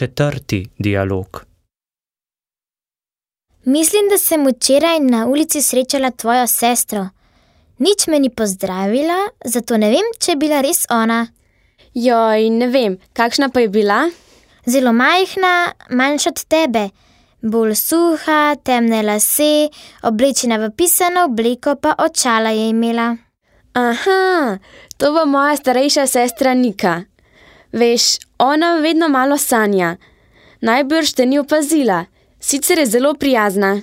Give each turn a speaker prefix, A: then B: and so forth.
A: 4. dialog.
B: Mislim, da sem včeraj na ulici srečala tvojo sestro. Nič me ni pozdravila, zato ne vem, če je bila res ona.
C: Joj, ne vem, kakšna pa je bila?
B: Zelo majhna, manjša od tebe. Bolj suha, temne lase, oblečena v pisano obleko, pa očala je imela.
C: Aha, to bo moja starejša sestra Nika. Veš, ona vedno malo sanja. Najbrž te ni opazila, sicer je zelo prijazna.